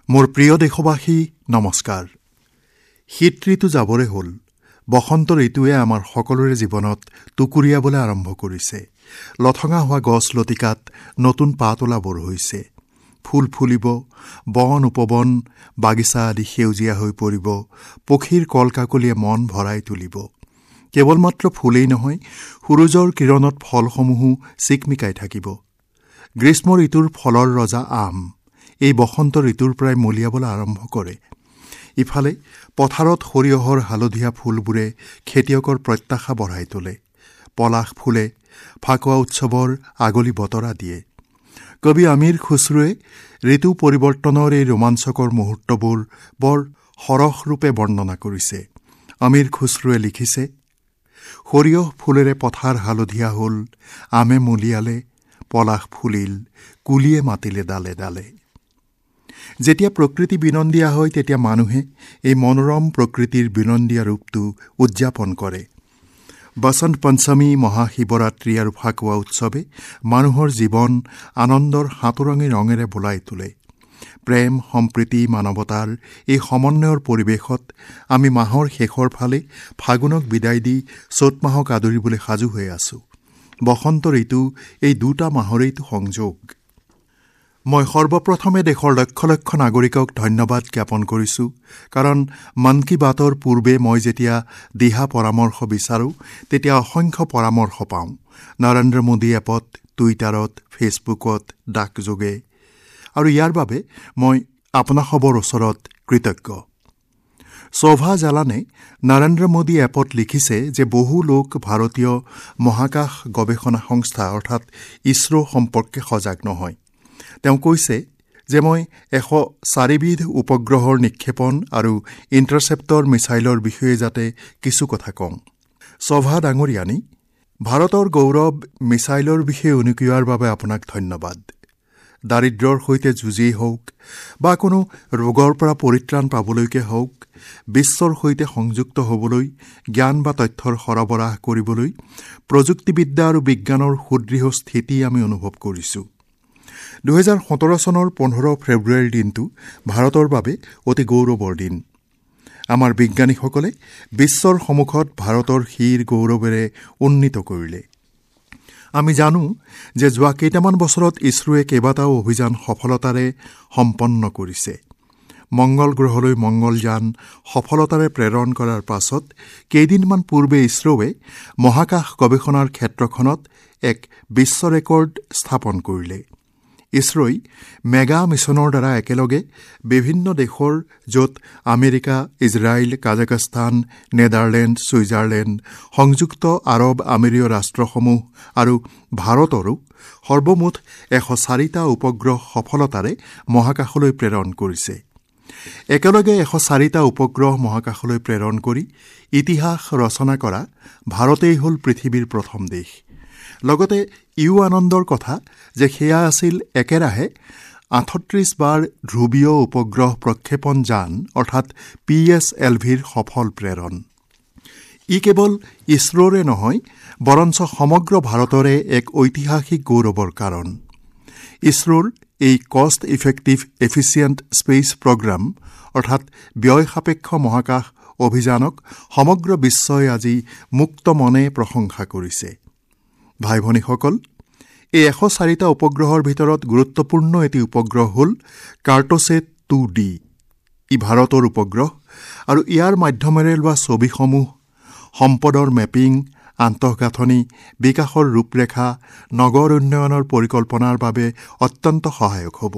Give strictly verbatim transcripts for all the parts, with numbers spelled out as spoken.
মোৰ প্ৰিয় দেশবাসী, নমস্কাৰ। শীত ঋতু যাবৰে হ'ল, বসন্ত ঋতুৱে আমাৰ সকলোৰে জীৱনত টুকুৰিয়াবলৈ আৰম্ভ কৰিছে। লঠঙা হোৱা গছ লতিকাত নতুন পাত ওলাবৰ হৈছে, ফুল ফুলিব, বন উপবন বাগিচা আদি সেউজীয়া হৈ পৰিব, পক্ষীৰ কলকাকলিয়ে মন ভৰাই তুলিব। কেৱল মাত্ৰ ফুলেই নহয়, সূৰুযৰ কিৰণত ফলসমূহো চিকমিকাই থাকিব। গ্ৰীষ্ম ঋতুৰ ফলৰ ৰজা আম এই বসন্ত ঋতুৰ পৰাই মলিয়াবলৈ আৰম্ভ কৰে। ইফালে পথাৰত সৰিয়হৰ হালধীয়া ফুলবোৰে খেতিয়কৰ প্ৰত্যাশা বঢ়াই তোলে। পলাশ ফুলে ফাকুৱা উৎসৱৰ আগলি বতৰা দিয়ে। কবি আমিৰ খুচৰুৱে ঋতু পৰিৱৰ্তনৰ এই ৰোমাঞ্চকৰ মুহূৰ্তবোৰ বৰ সৰসৰূপে বৰ্ণনা কৰিছে। আমিৰ খুচৰুৱে লিখিছে, সৰিয়হ ফুলেৰে পথাৰ হালধীয়া হ'ল, আমে মলিয়ালে, পলাশ ফুলিল, কুলিয়ে মাতিলে ডালে ডালে। যেতিয়া প্ৰকৃতি বিনন্দীয়া হয়, তেতিয়া মানুহে এই মনোৰম প্ৰকৃতিৰ বিনন্দীয়া ৰূপটো উদযাপন কৰে। বসন্ত পঞ্চমী, মহাশিৱৰাত্ৰি আৰু ফাকুৱা উৎসৱে মানুহৰ জীৱন আনন্দৰ সাঁতোৰঙী ৰঙেৰে বোলাই তোলে। প্ৰেম, সম্প্ৰীতি, মানৱতাৰ এই সমন্বয়ৰ পৰিৱেশত আমি মাহৰ শেষৰ ফালে ফাগুনক বিদায় দি চ'ত মাহক আদৰিবলৈ সাজু হৈ আছোঁ। বসন্ত ঋতু এই দুটা মাহৰেইতো সংযোগ। মই সৰ্বপ্ৰথমে দেশৰ লক্ষ লক্ষ নাগৰিকক ধন্যবাদ জ্ঞাপন কৰিছোঁ, কাৰণ মন কী বাতৰ পূৰ্বে মই যেতিয়া দিহা পৰামৰ্শ বিচাৰোঁ, তেতিয়া অসংখ্য পৰামৰ্শ পাওঁ। নৰেন্দ্ৰ মোদী এপত, টুইটাৰত, ফেচবুকত, ডাকযোগে, আৰু ইয়াৰ বাবে মই আপোনাসৱৰ ওচৰত কৃতজ্ঞ। শোভা জালানে নৰেন্দ্ৰ মোদী এপত লিখিছে যে বহু লোক ভাৰতীয় মহাকাশ গৱেষণা সংস্থা অৰ্থাৎ ইছৰ' সম্পৰ্কে সজাগ নহয়। তেওঁ কৈছে যে মই এশ চাৰিবিধ উপগ্ৰহৰ নিক্ষেপণ আৰু ইণ্টাৰচেপ্টৰ মিছাইলৰ বিষয়ে যাতে কিছু কথা কওঁ। শোভা ডাঙৰীয়ানী, ভাৰতৰ গৌৰৱ মিছাইলৰ বিষয়ে উনুকিওৱাৰ বাবে আপোনাক ধন্যবাদ। দাৰিদ্ৰ্যৰ সৈতে যুঁজিয়েই হওক বা কোনো ৰোগৰ পৰা পৰিত্ৰাণ পাবলৈকে হওক, বিশ্বৰ সৈতে সংযুক্ত হ'বলৈ, জ্ঞান বা তথ্যৰ সৰবৰাহ কৰিবলৈ প্ৰযুক্তিবিদ্যা আৰু বিজ্ঞানৰ সুদৃঢ় স্থিতি আমি অনুভৱ কৰিছোঁ। দুহেজাৰ সোতৰ চনৰ পোন্ধৰ ফেব্ৰুৱাৰীৰ দিনটো ভাৰতৰ বাবে অতি গৌৰৱৰ দিন। আমাৰ বিজ্ঞানীসকলে বিশ্বৰ সন্মুখত ভাৰতৰ শিৰ গৌৰৱেৰে উন্নীত কৰিলে। আমি জানো যে যোৱা কেইটামান বছৰত ইছৰোৱে কেইবাটাও অভিযান সফলতাৰে সম্পন্ন কৰিছে। মংগল গ্ৰহলৈ মংগলযান সফলতাৰে প্ৰেৰণ কৰাৰ পাছত কেইদিনমান পূৰ্বে ইছৰোৱে মহাকাশ গৱেষণাৰ ক্ষেত্ৰখনত এক বিশ্ব ৰেকৰ্ড স্থাপন কৰিলে। ইছৰোই মেগা মিছনৰ দ্বাৰা একেলগে বিভিন্ন দেশৰ, য'ত America, Israel, Kazakhstan, Netherland, Switzerland, সংযুক্ত আৰৱ আমিৰীয় ৰাষ্ট্ৰসমূহ আৰু ভাৰতৰো সৰ্বমুঠ এশ চাৰিটা উপগ্ৰহ সফলতাৰে মহাকাশলৈ প্ৰেৰণ কৰিছে। একেলগে এশ চাৰিটা উপগ্ৰহ মহাকাশলৈ প্ৰেৰণ কৰি ইতিহাস ৰচনা কৰা ভাৰতেই হ'ল পৃথিৱীৰ প্ৰথম দেশ। লগতে ইও আনন্দৰ কথা যে সেয়া আছিল একেৰাহে আঠত্ৰিছ বাৰ ধ্ৰুৱীয় উপগ্ৰহ প্ৰক্ষেপণ যান অৰ্থাৎ পি এছ এল ভিৰ সফল প্ৰেৰণ। ই কেৱল ইছৰোৰে নহয়, বৰঞ্চ সমগ্ৰ ভাৰতৰে এক ঐতিহাসিক গৌৰৱৰ কাৰণ। ইছৰোৰ এই cost effective efficient space programme অৰ্থাৎ ব্যয় সাপেক্ষ মহাকাশ অভিযানক সমগ্ৰ বিশ্বই আজি মুক্ত মনে প্ৰশংসা কৰিছে। ভাই ভনীসকল, এই এশ চাৰিটা উপগ্ৰহৰ ভিতৰত গুৰুত্বপূৰ্ণ এটি উপগ্ৰহ হ'ল কাৰ্ট'ছেট টু ডি। ই ভাৰতৰ উপগ্ৰহ আৰু ইয়াৰ মাধ্যমেৰে লোৱা ছবিসমূহ সম্পদৰ মেপিং, আন্তঃগাঁথনি বিকাশৰ ৰূপৰেখা, নগৰ উন্নয়নৰ পৰিকল্পনাৰ বাবে অত্যন্ত সহায়ক হ'ব।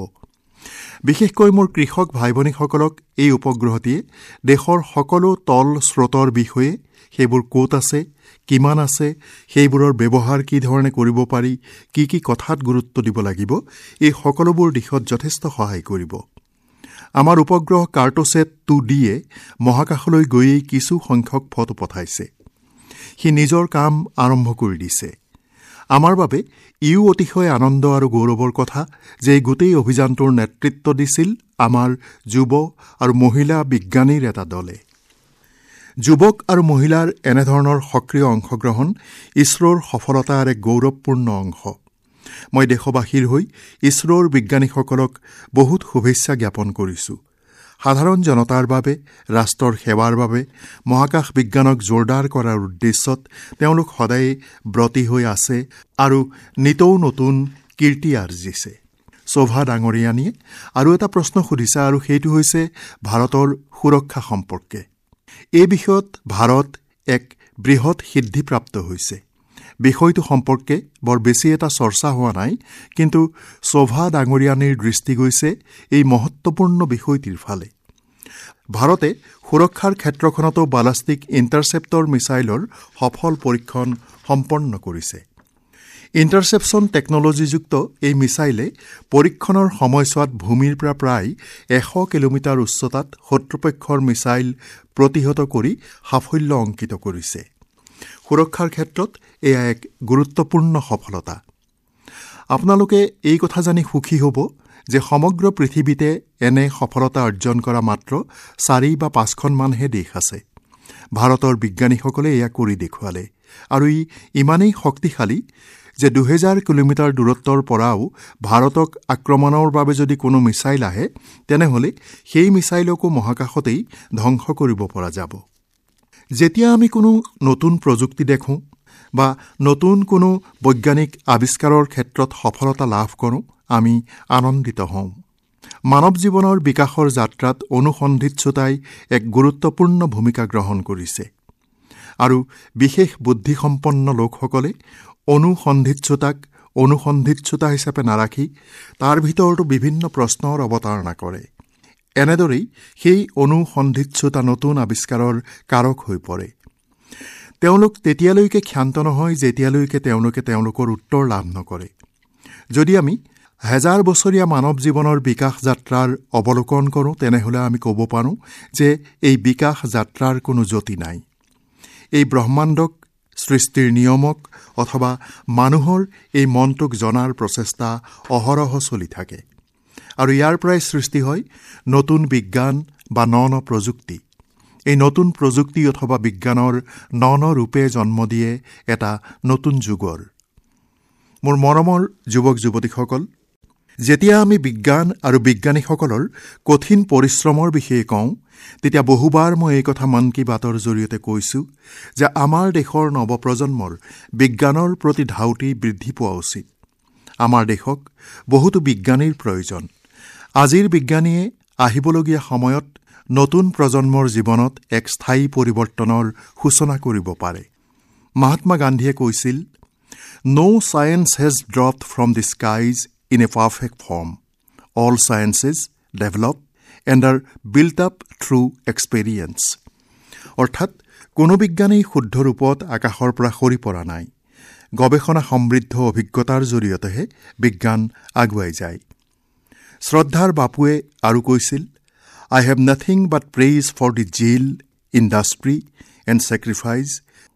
বিশেষকৈ মোৰ কৃষক ভাই ভনীসকলক এই উপগ্ৰহটিয়ে দেশৰ সকলো তল স্ৰোতৰ বিষয়ে, সেইবোৰ ক'ত আছে, কিমান আছে, সেইবোৰৰ ব্যৱহাৰ কি ধৰণে কৰিব পাৰি, কি কি কথাত গুৰুত্ব দিব লাগিব, এই সকলোবোৰ দিশত যথেষ্ট সহায় কৰিব। আমাৰ উপগ্ৰহ কাৰ্ট'ছেট টু ডিয়ে মহাকাশলৈ গৈয়েই কিছু সংখ্যক ফটো পঠাইছে। সি নিজৰ কাম আৰম্ভ কৰি দিছে। আমাৰ বাবে ইও অতিশয় আনন্দ আৰু গৌৰৱৰ কথা যে এই গোটেই অভিযানটোৰ নেতৃত্ব দিছিল আমাৰ যুৱ আৰু মহিলা বিজ্ঞানীৰ এটা দলে। যুৱক আৰু মহিলাৰ এনেধৰণৰ সক্ৰিয় অংশগ্ৰহণ ইছৰোৰ সফলতাৰ এক গৌৰৱপূৰ্ণ অংশ। মই দেশবাসীৰ হৈ ইছৰোৰ বিজ্ঞানীসকলক বহুত শুভেচ্ছা জ্ঞাপন কৰিছোঁ। সাধাৰণ জনতাৰ বাবে, ৰাষ্ট্ৰৰ সেৱাৰ বাবে, মহাকাশ বিজ্ঞানক জোৰদাৰ কৰাৰ উদ্দেশ্যত তেওঁলোক সদায়ে ব্ৰতী হৈ আছে আৰু নিতৌ নতুন কীৰ্তি আৰ্জিছে। শোভা ডাঙৰীয়ানীয়ে আৰু এটা প্ৰশ্ন সুধিছে আৰু সেইটো হৈছে ভাৰতৰ সুৰক্ষা সম্পৰ্কে। এই বিষয়ত ভাৰত এক বৃহৎ সিদ্ধিপ্ৰাপ্ত হৈছে। বিষয়টো সম্পৰ্কে বৰ বেছি এটা চৰ্চা হোৱা নাই, কিন্তু শোভা ডাঙৰীয়ানীৰ দৃষ্টি গৈছে এই মহত্বপূৰ্ণ বিষয়টিৰ ফালে। ভাৰতে সুৰক্ষাৰ ক্ষেত্ৰখনতো বালাষ্টিক ইণ্টাৰচেপ্টৰ মিছাইলৰ সফল পৰীক্ষণ সম্পন্ন কৰিছে। ইণ্টাৰচেপশ্যন টেকন'লজিযুক্ত এই মিছাইলে পৰীক্ষণৰ সময়ছোৱাত ভূমিৰ পৰা প্ৰায় এশ কিলোমিটাৰ উচ্চতাত শত্ৰুপক্ষৰ মিছাইল প্ৰতিহত কৰি সাফল্য অংকিত কৰিছে। সুৰক্ষাৰ ক্ষেত্ৰত এয়া এক গুৰুত্বপূৰ্ণ সফলতা। আপোনালোকে এই কথা জানি সুখী হ'ব যে সমগ্ৰ পৃথিৱীতে এনে সফলতা অৰ্জন কৰা মাত্ৰ চাৰি বা পাঁচখনমানহে দেশ আছে। ভাৰতৰ বিজ্ঞানীসকলে এয়া কৰি দেখুৱালে আৰু ই ইমানেই শক্তিশালী যে দুহেজাৰ কিলোমিটাৰ দূৰত্বৰ পৰাও ভাৰতক আক্ৰমণৰ বাবে যদি কোনো মিছাইল আহে, তেনেহ'লে সেই মিছাইলকো মহাকাশতেই ধ্বংস কৰিব পৰা যাব। যেতিয়া আমি কোনো নতুন প্ৰযুক্তি দেখোঁ বা নতুন কোনো বৈজ্ঞানিক আৱিষ্কাৰৰ ক্ষেত্ৰত সফলতা লাভ কৰোঁ, আমি আনন্দিত হওঁ। মানৱ জীৱনৰ বিকাশৰ যাত্ৰাত অনুসন্ধিৎসুতাই এক গুৰুত্বপূৰ্ণ ভূমিকা গ্ৰহণ কৰিছে আৰু বিশেষ বুদ্ধিসম্পন্ন লোকসকলে অনুসন্ধিৎসুতাক অনুসন্ধিৎসুতা হিচাপে নাৰাখি তাৰ ভিতৰতো বিভিন্ন প্ৰশ্নৰ অৱতাৰণা কৰে। এনেদৰেই সেই অনুসন্ধিৎসুতা নতুন আৱিষ্কাৰৰ কাৰক হৈ পৰে। তেওঁলোক তেতিয়ালৈকে ক্ষান্ত নহয় যেতিয়ালৈকে তেওঁলোকে তেওঁলোকৰ উত্তৰ লাভ নকৰে। যদি আমি হেজাৰ বছৰীয়া মানৱ জীৱনৰ বিকাশ যাত্ৰাৰ অৱলোকন কৰোঁ, তেনেহ'লে আমি ক'ব পাৰোঁ যে এই বিকাশ যাত্ৰাৰ কোনো যতি নাই। এই ব্ৰহ্মাণ্ডক, সৃষ্টিৰ নিয়মক অথবা মানুহৰ এই মনটোক জনাৰ প্ৰচেষ্টা অহৰহ চলি থাকে আৰু ইয়াৰ পৰাই সৃষ্টি হয় নতুন বিজ্ঞান বা ন ন প্ৰযুক্তি। এই নতুন প্ৰযুক্তি অথবা বিজ্ঞানৰ ন ন ৰূপে জন্ম দিয়ে এটা নতুন যুগৰ। মোৰ মৰমৰ যুৱক যুৱতীসকল, যেতিয়া আমি বিজ্ঞান আৰু বিজ্ঞানীসকলৰ কঠিন পৰিশ্ৰমৰ বিষয়ে কওঁ, তেতিয়া বহুবাৰ মই এই কথা মন কী বাতৰ জৰিয়তে কৈছোঁ যে আমাৰ দেশৰ নৱপ্ৰজন্মৰ বিজ্ঞানৰ প্ৰতি ধাউতি বৃদ্ধি পোৱা উচিত। আমাৰ দেশক বহুতো বিজ্ঞানীৰ প্ৰয়োজন। আজিৰ বিজ্ঞানীয়ে আহিবলগীয়া সময়ত নতুন প্ৰজন্মৰ জীৱনত এক স্থায়ী পৰিৱৰ্তনৰ সূচনা কৰিব পাৰে। মহাত্মা গান্ধীয়ে কৈছিল, No science has dropped from the skies in a perfect form. All sciences develop and are built up through experience. অৰ্থাৎ কোনো বিজ্ঞানেই শুদ্ধ ৰূপত আকাশৰ পৰা সৰি পৰা নাই। গৱেষণা সমৃদ্ধ অভিজ্ঞতাৰ জৰিয়তেহে বিজ্ঞান আগুৱাই যায়। শ্ৰদ্ধাৰ বাপুৱে আৰু কৈছিল, I have nothing but praise for the zeal, industry and sacrifice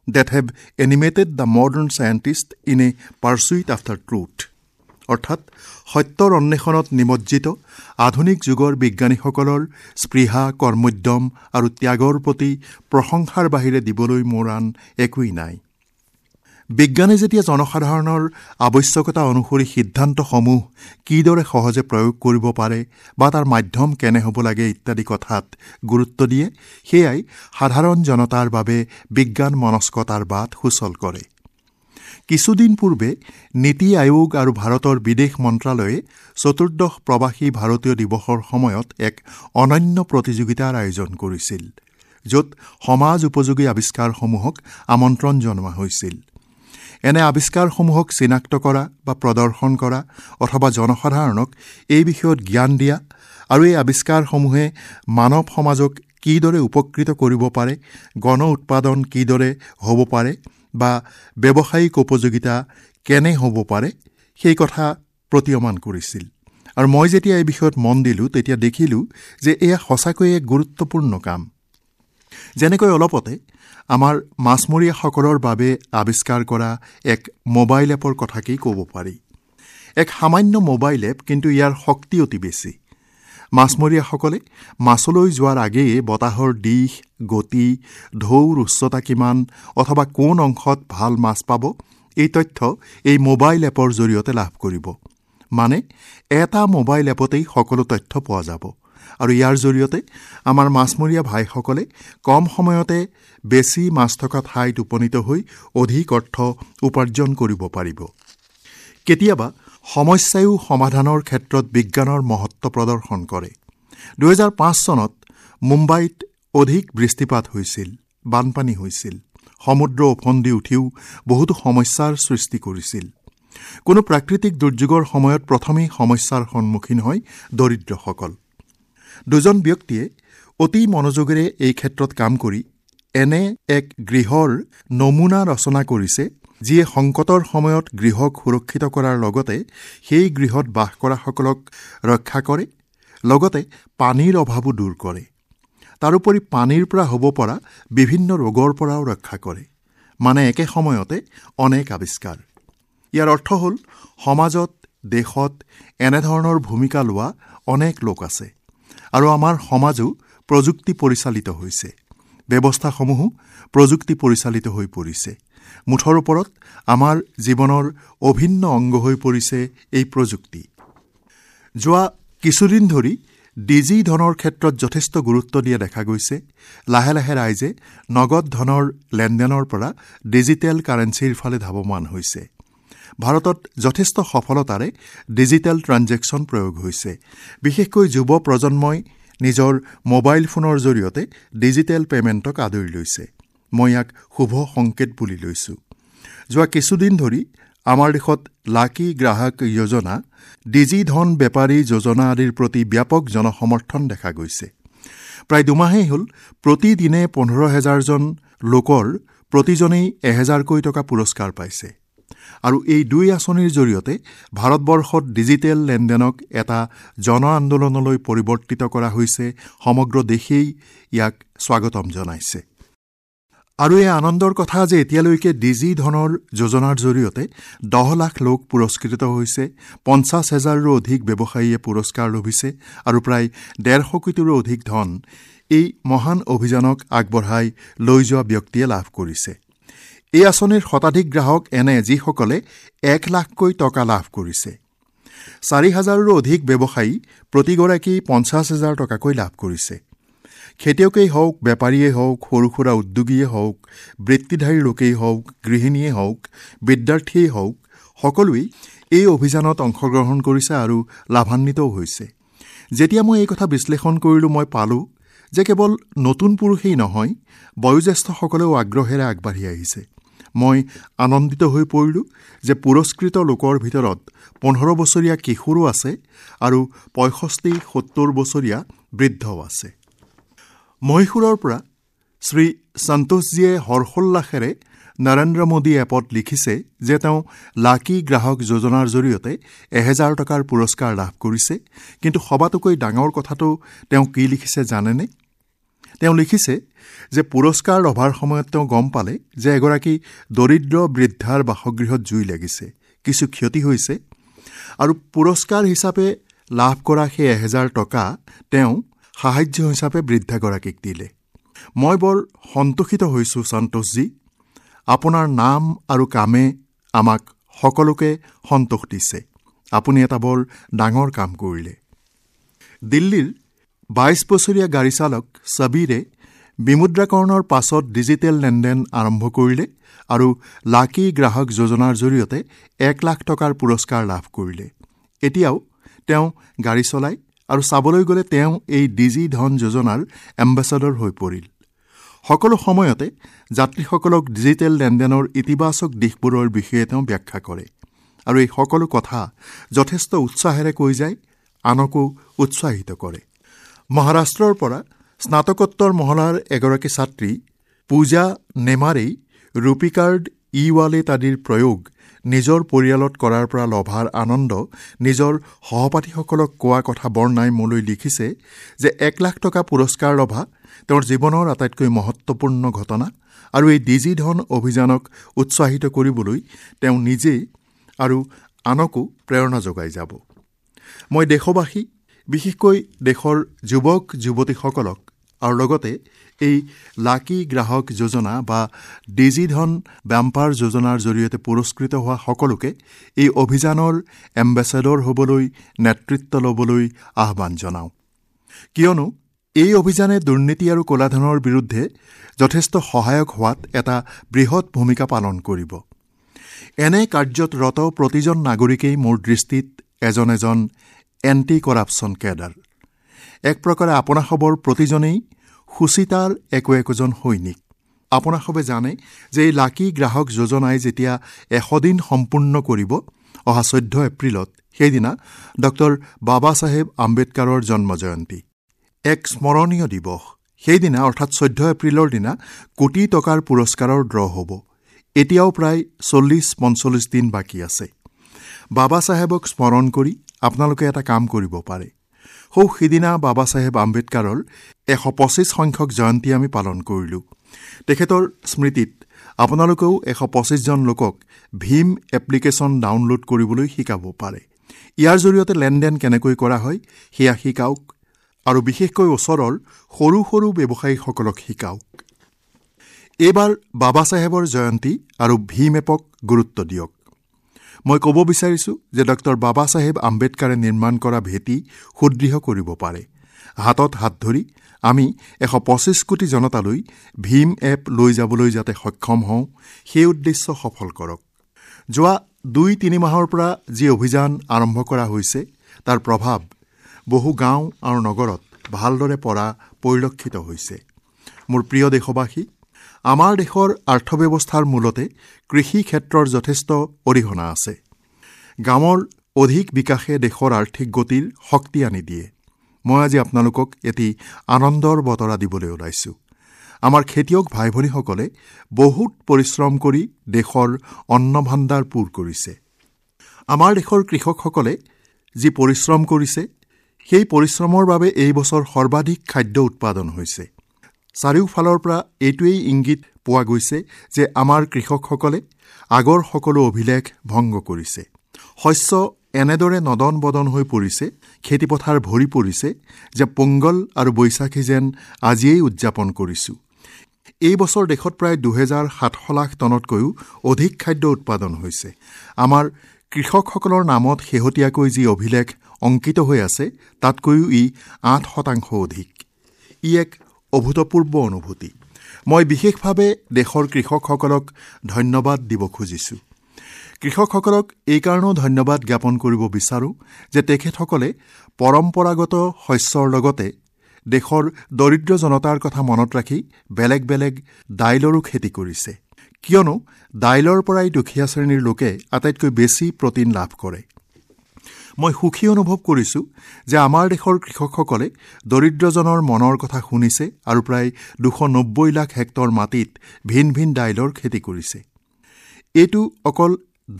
that have animated the modern scientist in a pursuit after truth. অৰ্থাৎ সত্যৰ অন্বেষণত নিমজ্জিত আধুনিক যুগৰ বিজ্ঞানীসকলৰ স্পৃহা, কৰ্মোদ্যম আৰু ত্যাগৰ প্ৰতি প্ৰশংসাৰ বাহিৰে দিবলৈ মোৰ আন একোৱেই নাই। বিজ্ঞানে যেতিয়া জনসাধাৰণৰ আৱশ্যকতা অনুসৰি সিদ্ধান্তসমূহ কিদৰে সহজে প্ৰয়োগ কৰিব পাৰে বা তাৰ মাধ্যম কেনে হ'ব লাগে ইত্যাদি কথাত গুৰুত্ব দিয়ে, সেয়াই সাধাৰণ জনতাৰ বাবে বিজ্ঞান মনস্কতাৰ বাট সুচল কৰে। কিছুদিন পূৰ্বে নীতি আয়োগ আৰু ভাৰতৰ বিদেশ মন্ত্ৰালয়ে চতুৰ্দশ প্ৰৱাসী ভাৰতীয় দিৱসৰ সময়ত এক অনন্য প্ৰতিযোগিতাৰ আয়োজন কৰিছিল, য'ত সমাজ উপযোগী আৱিষ্কাৰসমূহক আমন্ত্ৰণ জনোৱা হৈছিল। এনে আৱিষ্কাৰসমূহক চিনাক্ত কৰা বা প্ৰদৰ্শন কৰা অথবা জনসাধাৰণক এই বিষয়ত জ্ঞান দিয়া আৰু এই আৱিষ্কাৰসমূহে মানৱ সমাজক কিদৰে উপকৃত কৰিব পাৰে, গণ উৎপাদন কিদৰে হ'ব পাৰে বা ব্যৱসায়িক উপযোগিতা কেনে হ'ব পাৰে, সেই কথা প্ৰতীয়মান কৰিছিল। আৰু মই যেতিয়া এই বিষয়ত মন দিলোঁ, তেতিয়া দেখিলোঁ যে এয়া সঁচাকৈয়ে এক গুৰুত্বপূৰ্ণ কাম। যেনেকৈ অলপতে আমাৰ মাছমৰীয়াসকলৰ বাবে আৱিষ্কাৰ কৰা এক মোবাইল এপৰ কথাকেই ক'ব পাৰি। এক সামান্য মোবাইল এপ, কিন্তু ইয়াৰ শক্তি অতি বেছি। মাছমৰীয়াসকলে মাছলৈ যোৱাৰ আগেয়ে বতাহৰ দিশ, গতি, ঢৌৰ উচ্চতা কিমান অথবা কোন অংশত ভাল মাছ পাব এই তথ্য এই মোবাইল এপৰ জৰিয়তে লাভ কৰিব। মানে এটা মোবাইল এপতেই সকলো তথ্য পোৱা যাব আৰু ইয়াৰ জৰিয়তে আমাৰ মাছমৰীয়া ভাইসকলে কম সময়তে বেছি মাছ থকা ঠাইত উপনীত হৈ অধিক অৰ্থ উপাৰ্জন কৰিব পাৰিব। কেতিয়াবা সমস্যায়ো সমাধানৰ ক্ষেত্ৰত বিজ্ঞানৰ মহত্ব প্ৰদৰ্শন কৰে। দুহেজাৰ পাঁচ চনত মুম্বাইত অধিক বৃষ্টিপাত হৈছিল, বানপানী হৈছিল, সমুদ্ৰ ওফন্দি উঠিও বহুতো সমস্যাৰ সৃষ্টি কৰিছিল। কোনো প্ৰাকৃতিক দুৰ্যোগৰ সময়ত প্ৰথমেই সমস্যাৰ সন্মুখীন হয় দৰিদ্ৰসকল। দুজন ব্যক্তিয়ে অতি মনোযোগেৰে এই ক্ষেত্ৰত কাম কৰি এনে এক গৃহৰ নমুনা ৰচনা কৰিছে, যিয়ে সংকটৰ সময়ত গৃহক সুৰক্ষিত কৰাৰ লগতে সেই গৃহত বাস কৰাসকলক ৰক্ষা কৰে, লগতে পানীৰ অভাৱো দূৰ কৰে। তাৰোপৰি পানীৰ পৰা হ'ব পৰা বিভিন্ন ৰোগৰ পৰাও ৰক্ষা কৰে। মানে একে সময়তে অনেক আৱিষ্কাৰ। ইয়াৰ অৰ্থ হ'ল সমাজত, দেশত এনেধৰণৰ ভূমিকা লোৱা অনেক লোক আছে আৰু আমাৰ সমাজো প্ৰযুক্তি পৰিচালিত হৈছে, ব্যৱস্থাসমূহো প্ৰযুক্তি পৰিচালিত হৈ পৰিছে। মুঠৰ ওপৰত আমাৰ জীৱনৰ অভিন্ন অংগ হৈ পৰিছে এই প্ৰযুক্তি। যোৱা কিছুদিন ধৰি ডিজি ধনৰ ক্ষেত্ৰত যথেষ্ট গুৰুত্ব দিয়া দেখা গৈছে। লাহে লাহে ৰাইজে নগদ ধনৰ লেনদেনৰ পৰা ডিজিটেল কাৰেঞ্চিৰ ফালে ধাৱমান হৈছে। ভাৰতত যথেষ্ট সফলতাৰে ডিজিটেল ট্ৰানজেকশ্যন প্ৰয়োগ হৈছে। বিশেষকৈ যুৱ প্ৰজন্মই নিজৰ মোবাইল ফোনৰ জৰিয়তে ডিজিটেল পে'মেণ্টক আদৰি লৈছে। মই ইয়াক শুভ সংকেত বুলি লৈছোঁ। যোৱা কিছুদিন ধৰি আমাৰ দেশত লাকি গ্ৰাহক যোজনা, ডিজি ধন বেপাৰী যোজনা আদিৰ প্ৰতি ব্যাপক জনসমৰ্থন দেখা গৈছে। প্ৰায় দুমাহেই হ'ল প্ৰতিদিনে পোন্ধৰ হেজাৰজন লোকৰ প্ৰতিজনেই এহেজাৰকৈ টকা পুৰস্কাৰ পাইছে আৰু এই দুই আঁচনিৰ জৰিয়তে ভাৰতবৰ্ষত ডিজিটেল লেনদেনক এটা জন আন্দোলনলৈ পৰিৱৰ্তিত কৰা হৈছে। সমগ্ৰ দেশেই ইয়াক স্বাগতম জনাইছে। আৰু এই আনন্দৰ কথা যে এতিয়ালৈকে ডিজি ধনৰ যোজনাৰ জৰিয়তে দহ লাখ লোক পুৰস্কৃত হৈছে, পঞ্চাছ হেজাৰৰো অধিক ব্যৱসায়ীয়ে পুৰস্কাৰ লভিছে আৰু প্ৰায় ডেৰশ কোটিৰো অধিক ধন এই মহান অভিযানক আগবঢ়াই লৈ যোৱা ব্যক্তিয়ে লাভ কৰিছে। এই আঁচনিৰ শতাধিক গ্ৰাহক এনে যিসকলে এক লাখকৈ টকা লাভ কৰিছে। চাৰি হাজাৰৰো অধিক ব্যৱসায়ী প্ৰতিগৰাকী পঞ্চাছ হাজাৰ টকাকৈ লাভ কৰিছে। খেতিয়কেই হওক, বেপাৰীয়েই হওক, সৰু সুৰা উদ্যোগীয়ে হওক, বৃত্তিধাৰী লোকেই হওক, গৃহিণীয়ে হওক, বিদ্যাৰ্থীয়েই হওক, সকলোৱেই এই অভিযানত অংশগ্ৰহণ কৰিছে আৰু লাভান্বিতও হৈছে। যেতিয়া মই এই কথা বিশ্লেষণ কৰিলোঁ, মই পালোঁ যে কেৱল নতুন পুৰুষেই নহয়, বয়োজ্যেষ্ঠসকলেও আগ্ৰহেৰে আগবাঢ়ি আহিছে। মই আনন্দিত হৈ পৰিলোঁ যে পুৰস্কৃত লোকৰ ভিতৰত পোন্ধৰ বছৰীয়া কিশোৰো আছে আৰু পঁয়ষষ্ঠি সত্তৰ বছৰীয়া বৃদ্ধও আছে। মহীশূৰৰ পৰা শ্ৰী সন্তোষজীয়ে হৰ্ষোল্লাসেৰে নৰেন্দ্ৰ মোদী এপত লিখিছে যে তেওঁ লাকি গ্ৰাহক যোজনাৰ জৰিয়তে এহেজাৰ টকাৰ পুৰস্কাৰ লাভ কৰিছে। কিন্তু সবাতোকৈ ডাঙৰ কথাটো তেওঁ কি লিখিছে জানেনে? তেওঁ লিখিছে যে পুৰস্কাৰ লভাৰ সময়ত তেওঁ গম পালে যে এগৰাকী দৰিদ্ৰ বৃদ্ধাৰ বাসগৃহত জুই লাগিছে, কিছু ক্ষতি হৈছে আৰু পুৰস্কাৰ হিচাপে লাভ কৰা সেই এহেজাৰ টকা তেওঁ সাহায্য হিচাপে বৃদ্ধাগৰাকীক দিলে। মই বৰ সন্তোষিত হৈছোঁ সন্তোষজী, আপোনাৰ নাম আৰু কামে আমাক সকলোকে সন্তোষ দিছে। আপুনি এটা বৰ ডাঙৰ কাম কৰিলে। দিল্লীৰ বাইছ বছৰীয়া গাড়ী চালক ছবিৰে বিমুদ্ৰাকৰণৰ পাছত ডিজিটেল লেনদেন আৰম্ভ কৰিলে আৰু লাকি গ্ৰাহক যোজনাৰ জৰিয়তে এক লাখ টকাৰ পুৰস্কাৰ লাভ কৰিলে। এতিয়াও তেওঁ গাড়ী চলায় আৰু চাবলৈ গ'লে তেওঁ এই ডিজি ধন যোজনাৰ এম্বেচাডৰ হৈ পৰিল। সকলো সময়তে যাত্ৰীসকলক ডিজিটেল লেনদেনৰ ইতিবাচক দিশবোৰৰ বিষয়ে তেওঁ ব্যাখ্যা কৰে আৰু এই সকলো কথা যথেষ্ট উৎসাহেৰে কৈ যায়, আনকো উৎসাহিত কৰে। মহাৰাষ্ট্ৰৰ পৰা স্নাতকোত্তৰ মহলাৰ এগৰাকী ছাত্ৰী পূজা নেমাৰেই ৰুপি কাৰ্ড, ই ৱালেট আদিৰ প্ৰয়োগ নিজৰ পৰিয়ালত কৰাৰ পৰা লভাৰ আনন্দ নিজৰ সহপাঠীসকলক কোৱা কথা বৰ্ণাই মোলৈ লিখিছে যে এক লাখ টকা পুৰস্কাৰ লভা তেওঁৰ জীৱনৰ আটাইতকৈ মহত্বপূৰ্ণ ঘটনা আৰু এই ডিজি ধন অভিযানক উৎসাহিত কৰিবলৈ তেওঁ নিজেই আৰু আনকো প্ৰেৰণা যোগাই যাব। মই দেশবাসী, বিশেষকৈ দেশৰ যুৱক যুৱতীসকলক আৰু লগতে এই লাকি গ্ৰাহক যোজনা বা ডিজিধন বাম্পাৰ যোজনাৰ জৰিয়তে পুৰস্কৃত হোৱা সকলোকে এই অভিযানৰ এম্বেছাডৰ হ'বলৈ, নেতৃত্ব ল'বলৈ আহ্বান জনাওঁ। কিয়নো এই অভিযানে দুৰ্নীতি আৰু ক'লাধনৰ বিৰুদ্ধে যথেষ্ট সহায়ক হোৱাত এটা বৃহৎ ভূমিকা পালন কৰিব। এনে কাৰ্যত ৰত প্ৰতিজন নাগৰিকেই মোৰ দৃষ্টিত এজন এজন এণ্টি কৰাপশ্যন কেডাৰ। এক প্ৰকাৰে আপোনাসৱৰ প্ৰতিজনেই সুচিতাৰ একো একোজন সৈনিক। আপোনাসৱে জানে যে এই লাকি গ্ৰাহক যোজনাই যেতিয়া এশ দিন সম্পূৰ্ণ কৰিব অহা চৈধ্য এপ্ৰিলত, সেইদিনা ডক্টৰ বাবা চাহেব আম্বেদকাৰৰ জন্ম জয়ন্তী, এক স্মৰণীয় দিৱস। সেইদিনা অৰ্থাৎ চৈধ্য এপ্ৰিলৰ দিনা কোটি টকাৰ পুৰস্কাৰৰ ড্ৰ হ'ব। এতিয়াও প্ৰায় চল্লিছ পঞ্চল্লিছ দিন বাকী আছে। বাবা চাহেবক স্মৰণ কৰি আপোনালোকে এটা কাম কৰিব পাৰে। সৌ সিদিনা বাবা চাহেব আম্বেদকাৰৰ এশ পঁচিছ সংখ্যক জয়ন্তী আমি পালন কৰিলোঁ। তেখেতৰ স্মৃতিত আপোনালোকেও এশ পঁচিছজন লোকক ভীম এপ্লিকেশ্যন ডাউনলোড কৰিবলৈ শিকাব পাৰে। ইয়াৰ জৰিয়তে লেনদেন কেনেকৈ কৰা হয় সেয়া শিকাওক আৰু বিশেষকৈ ওচৰৰ সৰু সৰু ব্যৱসায়ীসকলক শিকাওক। এইবাৰ বাবা চাহেবৰ জয়ন্তী আৰু ভীম এপক গুৰুত্ব দিয়ক। মই ক'ব বিচাৰিছোঁ যে ডক্টৰ বাবা চাহেব আম্বেদকাৰে নিৰ্মাণ কৰা ভেটি সুদৃঢ় কৰিব পাৰে। হাতত হাত ধৰি আমি এশ পঁচিছ কোটি জনতালৈ ভীম এপ লৈ যাবলৈ যাতে সক্ষম হওঁ সেই উদ্দেশ্য সফল কৰক। যোৱা দুই তিনি মাহৰ পৰা যি অভিযান আৰম্ভ কৰা হৈছে তাৰ প্ৰভাৱ বহু গাঁও আৰু নগৰত ভালদৰে পৰা পৰিলক্ষিত হৈছে। মোৰ প্ৰিয় দেশবাসী, আমাৰ দেশৰ অৰ্থব্যৱস্থাৰ মূলতে কৃষি ক্ষেত্ৰৰ যথেষ্ট অৰিহণা আছে। গাঁৱৰ অধিক বিকাশে দেশৰ আৰ্থিক গতিৰ শক্তি আনি দিয়ে। মই আজি আপোনালোকক এটি আনন্দৰ বতৰা দিবলৈ ওলাইছোঁ। আমাৰ খেতিয়ক ভাই ভনীসকলে বহুত পৰিশ্ৰম কৰি দেশৰ অন্ন ভাণ্ডাৰ পূৰ কৰিছে। আমাৰ দেশৰ কৃষকসকলে যি পৰিশ্ৰম কৰিছে সেই পৰিশ্ৰমৰ বাবে এই বছৰ সৰ্বাধিক খাদ্য উৎপাদন হৈছে। চাৰিওফালৰ পৰা এইটোৱেই ইংগিত পোৱা গৈছে যে আমাৰ কৃষকসকলে আগৰ সকলো অভিলেখ ভংগ কৰিছে। শস্য এনেদৰে নদন বদন হৈ পৰিছে, খেতিপথাৰ ভৰি পৰিছে যে পোংগল আৰু বৈশাখী যেন আজিয়েই উদযাপন কৰিছোঁ। এই বছৰ দেশত প্ৰায় দুহেজাৰ সাতশ লাখ টনতকৈও অধিক খাদ্য উৎপাদন হৈছে। আমাৰ কৃষকসকলৰ নামত শেহতীয়াকৈ যি অভিলেখ অংকিত হৈ আছে তাতকৈও ই আঠ শতাংশ অধিক। ই এক অভূতপূৰ্ব অনুভূতি। মই বিশেষভাৱে দেশৰ কৃষকসকলক ধন্যবাদ দিব খুজিছোঁ। কৃষকসকলক এইকাৰণেও ধন্যবাদ জ্ঞাপন কৰিব বিচাৰোঁ যে তেখেতসকলে পৰম্পৰাগত শস্যৰ লগতে দেশৰ দৰিদ্ৰ জনতাৰ কথা মনত ৰাখি বেলেগ বেলেগ দাইলৰো খেতি কৰিছে। কিয়নো দাইলৰ পৰাই দুখীয়া শ্ৰেণীৰ লোকে আটাইতকৈ বেছি প্ৰটিন লাভ কৰে। মই সুখী অনুভৱ কৰিছোঁ যে আমাৰ দেশৰ কৃষকসকলে দৰিদ্ৰজনৰ মনৰ কথা শুনিছে আৰু প্ৰায় দুশ নব্বৈ লাখ হেক্টৰ মাটিত ভিন ভিন দাইলৰ খেতি কৰিছে। এইটো অকল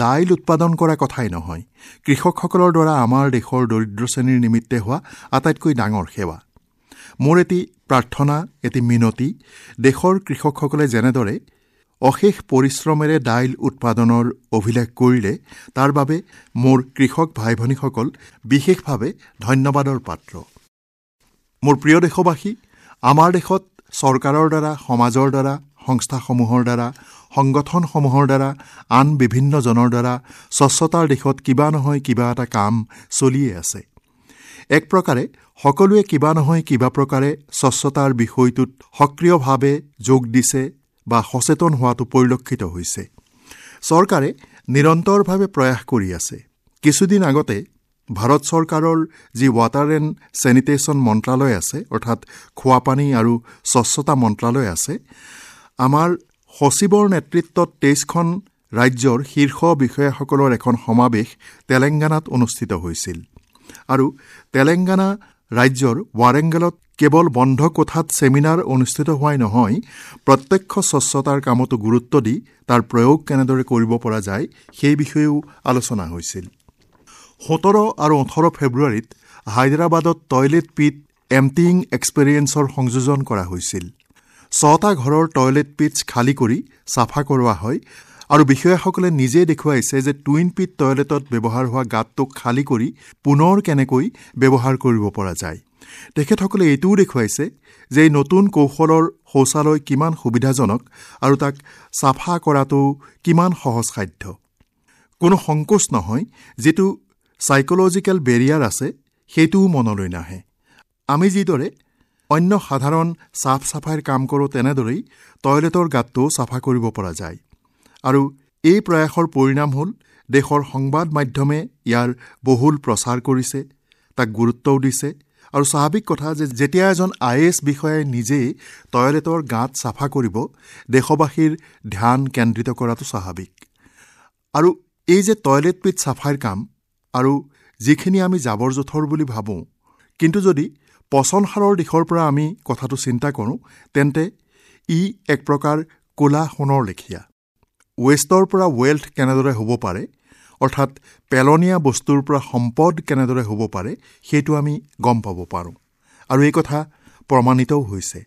দাইল উৎপাদন কৰা কথাই নহয়, কৃষকসকলৰ দ্বাৰা আমাৰ দেশৰ দৰিদ্ৰ শ্ৰেণীৰ নিমিত্তে হোৱা আটাইতকৈ ডাঙৰ সেৱা। মোৰ এটি প্ৰাৰ্থনা, এটি মিনতি, দেশৰ কৃষকসকলে যেনেদৰে অশেষ পৰিশ্ৰমেৰে দাইল উৎপাদনৰ অভিলেখ কৰিলে তাৰ বাবে মোৰ কৃষক ভাই ভনীসকল বিশেষভাৱে ধন্যবাদৰ পাত্ৰ। মোৰ প্ৰিয় দেশবাসী, আমাৰ দেশত চৰকাৰৰ দ্বাৰা, সমাজৰ দ্বাৰা, সংস্থাসমূহৰ দ্বাৰা, সংগঠনসমূহৰ দ্বাৰা, আন বিভিন্নজনৰ দ্বাৰা স্বচ্ছতাৰ দিশত কিবা নহয় কিবা এটা কাম চলিয়ে আছে। এক প্ৰকাৰে সকলোৱে কিবা নহয় কিবা প্ৰকাৰে স্বচ্ছতাৰ বিষয়টোত সক্ৰিয়ভাৱে যোগ দিছে বা সচেতন হোৱাটো পৰিলক্ষিত হৈছে। চৰকাৰে নিৰন্তৰভাৱে প্ৰয়াস কৰি আছে। কিছুদিন আগতে ভাৰত চৰকাৰৰ যি ৱাটাৰ এণ্ড চেনিটেশ্যন মন্ত্ৰালয় আছে, অৰ্থাৎ খোৱাপানী আৰু স্বচ্ছতা মন্ত্ৰালয় আছে, আমাৰ সচিবৰ নেতৃত্বত তেইছখন ৰাজ্যৰ শীৰ্ষ বিষয়াসকলৰ এখন সমাৱেশ তেলেংগানাত অনুষ্ঠিত হৈছিল। আৰু তেলেংগানা ৰাজ্যৰ ৱাৰেংগলত কেৱল বন্ধ কোঠাত ছেমিনাৰ অনুষ্ঠিত হোৱাই নহয়, প্ৰত্যক্ষ স্বচ্ছতাৰ কামতো গুৰুত্ব দি তাৰ প্ৰয়োগ কেনেদৰে কৰিব পৰা যায় সেই বিষয়েও আলোচনা হৈছিল। সোতৰ আৰু ওঠৰ ফেব্ৰুৱাৰীত হায়দৰাবাদত টয়লেট পিট এম্পটিয়িং এক্সপেৰিয়েন্সৰ সংযোজন কৰা হৈছিল। ছটা ঘৰৰ টয়লেট পিটছ খালী কৰি চাফা কৰোৱা হয় আৰু বিষয়াসকলে নিজে দেখুৱাইছে যে টুইন পিট টয়লেটত ব্যৱহাৰ হোৱা গাঁতটোক খালী কৰি পুনৰ কেনেকৈ ব্যৱহাৰ কৰিব পৰা যায়। তেখেতসকলে এইটোও দেখুৱাইছে যে এই নতুন কৌশলৰ শৌচালয় কিমান সুবিধাজনক আৰু তাক চাফা কৰাটো কিমান সহজসাধ্য। কোনো সংকোচ নহয়, যিটো চাইক'লজিকেল বেৰিয়াৰ আছে সেইটোও মনলৈ নাহে। আমি যিদৰে অন্য সাধাৰণ চাফ চাফাইৰ কাম কৰোঁ, তেনেদৰেই টয়লেটৰ গাঁতটোও চাফা কৰিব পৰা যায়। আৰু এই প্ৰয়াসৰ পৰিণাম হ'ল দেশৰ সংবাদ মাধ্যমে ইয়াৰ বহুল প্ৰচাৰ কৰিছে, তাক গুৰুত্বও দিছে। আৰু স্বাভাৱিক কথা যে যেতিয়া এজন I A S বিষয়াই নিজেই টয়লেটৰ গাঁত চাফা কৰিব, দেশবাসীৰ ধ্যান কেন্দ্ৰিত কৰাটো স্বাভাৱিক। আৰু এই যে টয়লেট পিট চাফাইৰ কাম আৰু যিখিনি আমি জাবৰ জোঁথৰ বুলি ভাবোঁ, কিন্তু যদি পচন সাৰৰ দিশৰ পৰা আমি কথাটো চিন্তা কৰোঁ, তেন্তে ই এক প্ৰকাৰ ক'লা সোণৰ লেখীয়া। ৱেষ্টৰ পৰা ৱেল্থ কেনেদৰে হ'ব পাৰে, অৰ্থাৎ পেলনীয়া বস্তুৰ পৰা সম্পদ কেনেদৰে হ'ব পাৰে, সেইটো আমি গম পাব পাৰোঁ। আৰু এই কথা প্ৰমাণিতও হৈছে।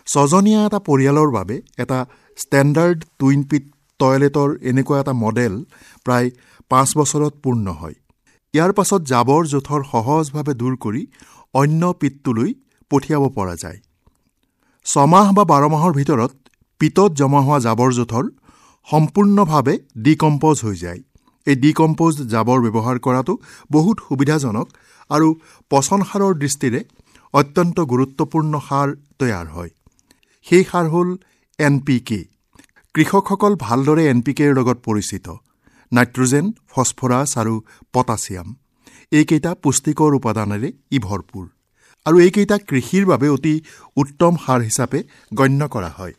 ছজনীয়া এটা পৰিয়ালৰ বাবে এটা ষ্টেণ্ডাৰ্ড টুইন পিট টয়লেটৰ এনেকুৱা এটা মডেল প্ৰায় পাঁচ বছৰত পূৰ্ণ হয়। ইয়াৰ পাছত জাবৰ জোঁথৰ সহজভাৱে দূৰ কৰি অন্য পিটটোলৈ পঠিয়াব পৰা যায়। ছমাহ বা বাৰ মাহৰ ভিতৰত পিটত জমা হোৱা জাবৰ জোঁথৰ সম্পূৰ্ণভাৱে ডিকম্প'জ হৈ যায়। এই ডিকম্প'জ জাবৰ ব্যৱহাৰ কৰাটো বহুত সুবিধাজনক আৰু পচন সাৰৰ দৃষ্টিৰে অত্যন্ত গুৰুত্বপূৰ্ণ সাৰ তৈয়াৰ হয়। সেই সাৰ হ'ল এন পি কে। কৃষকসকল ভালদৰে এন পি কেৰ লগত পৰিচিত। নাইট্ৰজেন, ফছফৰাছ আৰু পটাছিয়াম এইকেইটা পুষ্টিকৰ উপাদানেৰে ই ভৰপূৰ আৰু এইকেইটা কৃষিৰ বাবে অতি উত্তম সাৰ হিচাপে গণ্য কৰা হয়।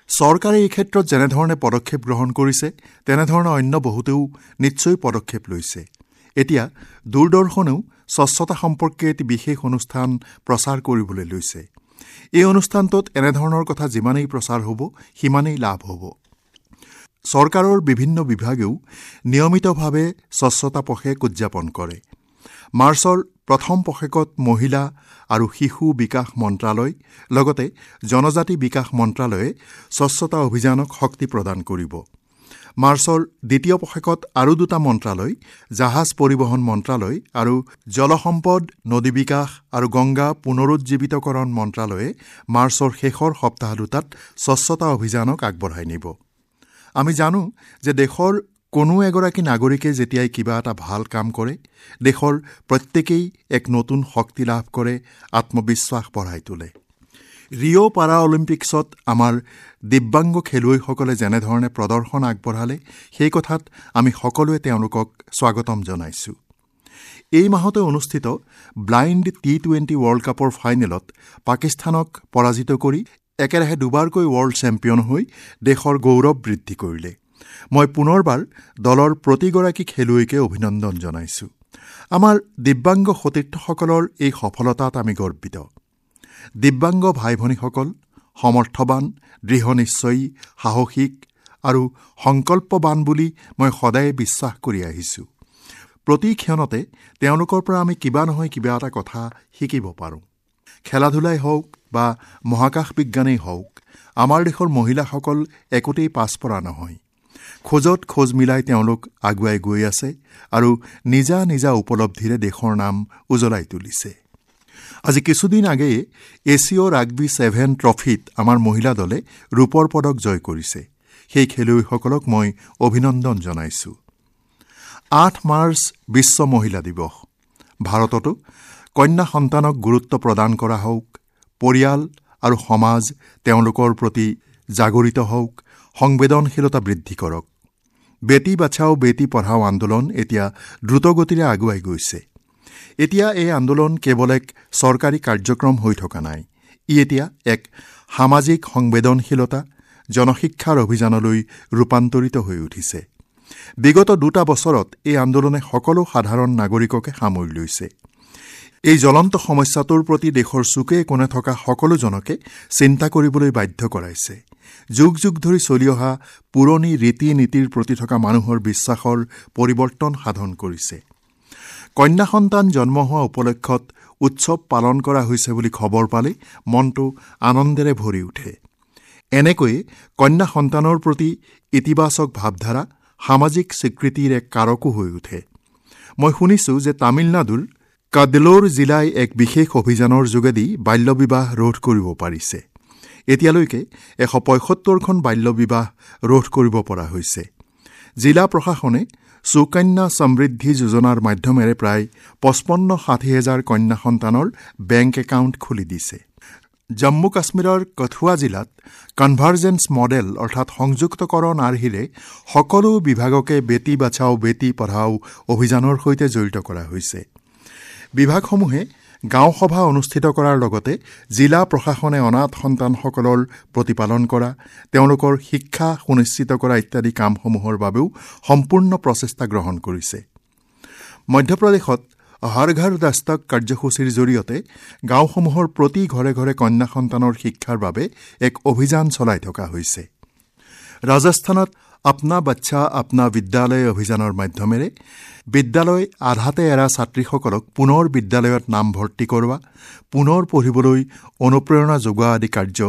চৰকাৰে এই ক্ষেত্ৰত যেনেধৰণে পদক্ষেপ গ্ৰহণ কৰিছে, তেনেধৰণে অন্য বহুতেও নিশ্চয় পদক্ষেপ লৈছে। এতিয়া দূৰদৰ্শনেও স্বচ্ছতা সম্পৰ্কে এটি বিশেষ অনুষ্ঠান প্ৰচাৰ কৰিবলৈ লৈছে। এই অনুষ্ঠানটোত এনেধৰণৰ কথা যিমানেই প্ৰচাৰ হ'ব, সিমানেই লাভ হ'ব। চৰকাৰৰ বিভিন্ন বিভাগেও নিয়মিতভাৱে স্বচ্ছতা পষেক উদযাপন কৰে। মাৰ্চৰ প্ৰথম পষেকত মহিলা আৰু শিশু বিকাশ মন্ত্ৰালয় লগতে জনজাতি বিকাশ মন্ত্ৰালয়ে স্বচ্ছতা অভিযানক শক্তি প্ৰদান কৰিব। মাৰ্চৰ দ্বিতীয় পষেকত আৰু দুটা মন্ত্ৰালয়, জাহাজ পৰিবহণ মন্ত্ৰালয় আৰু জলসম্পদ, নদী বিকাশ আৰু গংগা পুনৰুজ্জীৱিতকৰণ মন্ত্ৰালয়ে মাৰ্চৰ শেষৰ সপ্তাহ দুটাত স্বচ্ছতা অভিযানক আগবঢ়াই নিব। আমি জানো যে দেশৰ কোনো এগৰাকী নাগৰিকে যেতিয়াই কিবা এটা ভাল কাম কৰে, দেশৰ প্ৰত্যেকেই এক নতুন শক্তি লাভ কৰে, আত্মবিশ্বাস বঢ়াই তোলে। ৰিঅ' পাৰা অলিম্পিক্সত আমাৰ দিব্যাংগ খেলুৱৈসকলে যেনেধৰণে প্ৰদৰ্শন আগবঢ়ালে, সেই কথাত আমি সকলোৱে তেওঁলোকক স্বাগতম জনাইছোঁ। এই মাহতে অনুষ্ঠিত ব্লাইণ্ড টি টুৱেণ্টি ৱৰ্ল্ড কাপৰ ফাইনেলত পাকিস্তানক পৰাজিত কৰি একেৰাহে দুবাৰকৈ ৱৰ্ল্ড চেম্পিয়ন হৈ দেশৰ গৌৰৱ বৃদ্ধি কৰিলে। মই পুনৰবাৰ দলৰ প্ৰতিগৰাকী খেলুৱৈকে অভিনন্দন জনাইছোঁ। আমাৰ দিব্যাংগ সতীৰ্থসকলৰ এই সফলতাত আমি গৰ্বিত। দিব্যাংগ ভাই ভনীসকল সমৰ্থবান, দৃঢ় নিশ্চয়ী, সাহসিক আৰু সংকল্পবান বুলি মই সদায়ে বিশ্বাস কৰি আহিছোঁ। প্ৰতি ক্ষণতে তেওঁলোকৰ পৰা আমি কিবা নহয় কিবা এটা কথা শিকিব পাৰোঁ। খেলা ধূলাই হওক বা মহাকাশ বিজ্ঞানেই হওক, আমাৰ দেশৰ মহিলাসকল একোতেই পাছপৰা নহয়। খোজত খোজ মিলাই তেওঁলোক আগুৱাই গৈ আছে আৰু নিজা নিজা উপলব্ধিৰে দেশৰ নাম উজ্বলাই তুলিছে। আজি কিছুদিন আগেয়ে এছিয় ৰাগবি ছেভেন ট্ৰফিত আমাৰ মহিলা দলে ৰূপৰ পদক জয় কৰিছে। সেই খেলুৱৈসকলক মই অভিনন্দন জনাইছোঁ। আঠ মাৰ্চ বিশ্ব মহিলা দিৱস। ভাৰততো কন্যা সন্তানক গুৰুত্ব প্ৰদান কৰা হওক, পৰিয়াল আৰু সমাজ তেওঁলোকৰ প্ৰতি জাগৰিত হওক, সংবেদনশীলতা বৃদ্ধি কৰক। বেটী বাচাও বেটী পঢ়াও আন্দোলন এতিয়া দ্ৰুতগতিৰে আগুৱাই গৈছে। এতিয়া এই আন্দোলন কেৱল এক চৰকাৰী কাৰ্যক্ৰম হৈ থকা নাই, ই এতিয়া এক সামাজিক সংবেদনশীলতা, জনশিক্ষাৰ অভিযানলৈ ৰূপান্তৰিত হৈ উঠিছে। বিগত দুটা বছৰত এই আন্দোলনে সকলো সাধাৰণ নাগৰিককে সামৰি লৈছে। এই জ্বলন্ত সমস্যাটোৰ প্ৰতি দেশৰ চুকে কোণে থকা সকলোজনকে চিন্তা কৰিবলৈ বাধ্য কৰাইছে। যুগ যুগ ধৰি চলি অহা পুৰণি ৰীতি নীতিৰ প্ৰতি থকা মানুহৰ বিশ্বাসৰ পৰিৱৰ্তন সাধন কৰিছে। কন্যা সন্তান জন্ম হোৱা উপলক্ষত উৎসৱ পালন কৰা হৈছে বুলি খবৰ পালে মনটো আনন্দেৰে ভৰি উঠে। এনেকৈয়ে কন্যা সন্তানৰ প্ৰতি ইতিবাচক ভাৱধাৰা সামাজিক স্বীকৃতিৰ এক কাৰকো হৈ উঠে। মই শুনিছোঁ যে তামিলনাডুৰ কাদলোৰ জিলাই এক বিশেষ অভিযানৰ যোগেদি বাল্যবিবাহ ৰোধ কৰিব পাৰিছে। এতিয়ালৈকে এশ পঁয়সত্তৰখন বাল্যবিবাহ ৰোধ কৰিব পৰা হৈছে। জিলা প্ৰশাসনে সুকন্যা সমৃদ্ধি যোজনাৰ মাধ্যমেৰে প্ৰায় পঁচপন্ন ষাঠি হাজাৰ কন্যা সন্তানৰ বেংক একাউণ্ট খুলি দিছে। জম্মু কাশ্মীৰৰ কথুৱা জিলাত কনভাৰ্জেন্স মডেল অৰ্থাৎ সংযুক্তকৰণ আৰ্হিৰে সকলো বিভাগকে বেটী বাচাও বেটী পঢ়াও অভিযানৰ সৈতে জড়িত কৰা হৈছে। বিভাগসমূহে গাঁও সভা অনুষ্ঠিত কৰাৰ লগতে জিলা প্ৰশাসনে অনাথ সন্তানসকলৰ প্ৰতিপালন কৰা, তেওঁলোকৰ শিক্ষা সুনিশ্চিত কৰা ইত্যাদি কামসমূহৰ বাবেও সম্পূৰ্ণ প্ৰচেষ্টা গ্ৰহণ কৰিছে। মধ্যপ্ৰদেশত হৰ ঘৰ দস্তক কাৰ্যসূচীৰ জৰিয়তে গাঁওসমূহৰ প্ৰতি ঘৰে ঘৰে কন্যা সন্তানৰ শিক্ষাৰ বাবে এক অভিযান চলাই থকা হৈছে। ৰাজস্থানত আপনা বাচ্চা আপনা বিদ্যালয় অভিযানৰ মাধ্যমেৰে বিদ্যালয় আধাতে এৰা ছাত্ৰীসকলক পুনৰ বিদ্যালয়ত নামভৰ্তি কৰোৱা, পুনৰ পঢ়িবলৈ অনুপ্ৰেৰণা যোগোৱা আদি কাৰ্য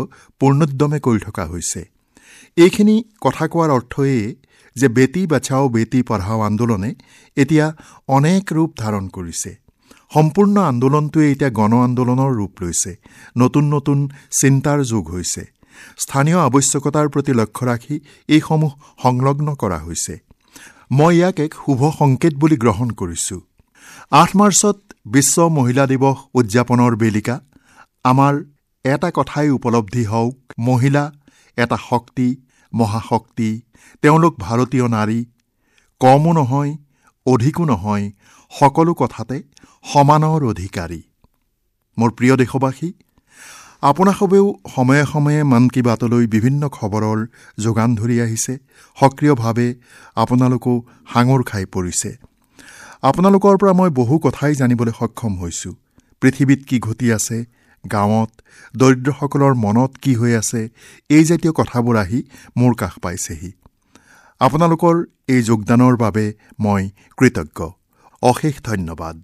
পূৰ্ণোদ্যমে কৰি থকা হৈছে। এইখিনি কথা কোৱাৰ অৰ্থ এয়ে যে বেটী বাচাও বেটী পঢ়াও আন্দোলনে এতিয়া অনেক ৰূপ ধাৰণ কৰিছে। সম্পূৰ্ণ আন্দোলনটোৱে এতিয়া গণ আন্দোলনৰ ৰূপ লৈছে। নতুন নতুন চিন্তাৰ যোগ হৈছে। স্থানীয় আৱশ্যকতাৰ প্ৰতি লক্ষ্য ৰাখি এইসমূহ সংলগ্ন কৰা হৈছে। মই ইয়াক এক শুভ সংকেত বুলি গ্ৰহণ কৰিছোঁ। আঠ মাৰ্চত বিশ্ব মহিলা দিৱস উদযাপনৰ বেলিকা আমাৰ এটা কথাই উপলব্ধি হওক, মহিলা এটা শক্তি, মহাশক্তি। তেওঁলোক ভাৰতীয় নাৰী, কমো নহয় অধিকো নহয়, সকলো কথাতে সমানৰ অধিকাৰী। মোৰ প্ৰিয় দেশবাসী, আপোনাসৱেও সময়ে সময়ে মন কী বাতলৈ বিভিন্ন খবৰৰ যোগান ধৰি আহিছে। সক্ৰিয়ভাৱে আপোনালোকো সাঙুৰ খাই পৰিছে। আপোনালোকৰ পৰা মই বহু কথাই জানিবলৈ সক্ষম হৈছোঁ। পৃথিৱীত কি ঘটি আছে, গাঁৱত দৰিদ্ৰসকলৰ মনত কি হৈ আছে, এই জাতীয় কথাবোৰ আহি মোৰ কাষ পাইছেহি। আপোনালোকৰ এই যোগদানৰ বাবে মই কৃতজ্ঞ। অশেষ ধন্যবাদ।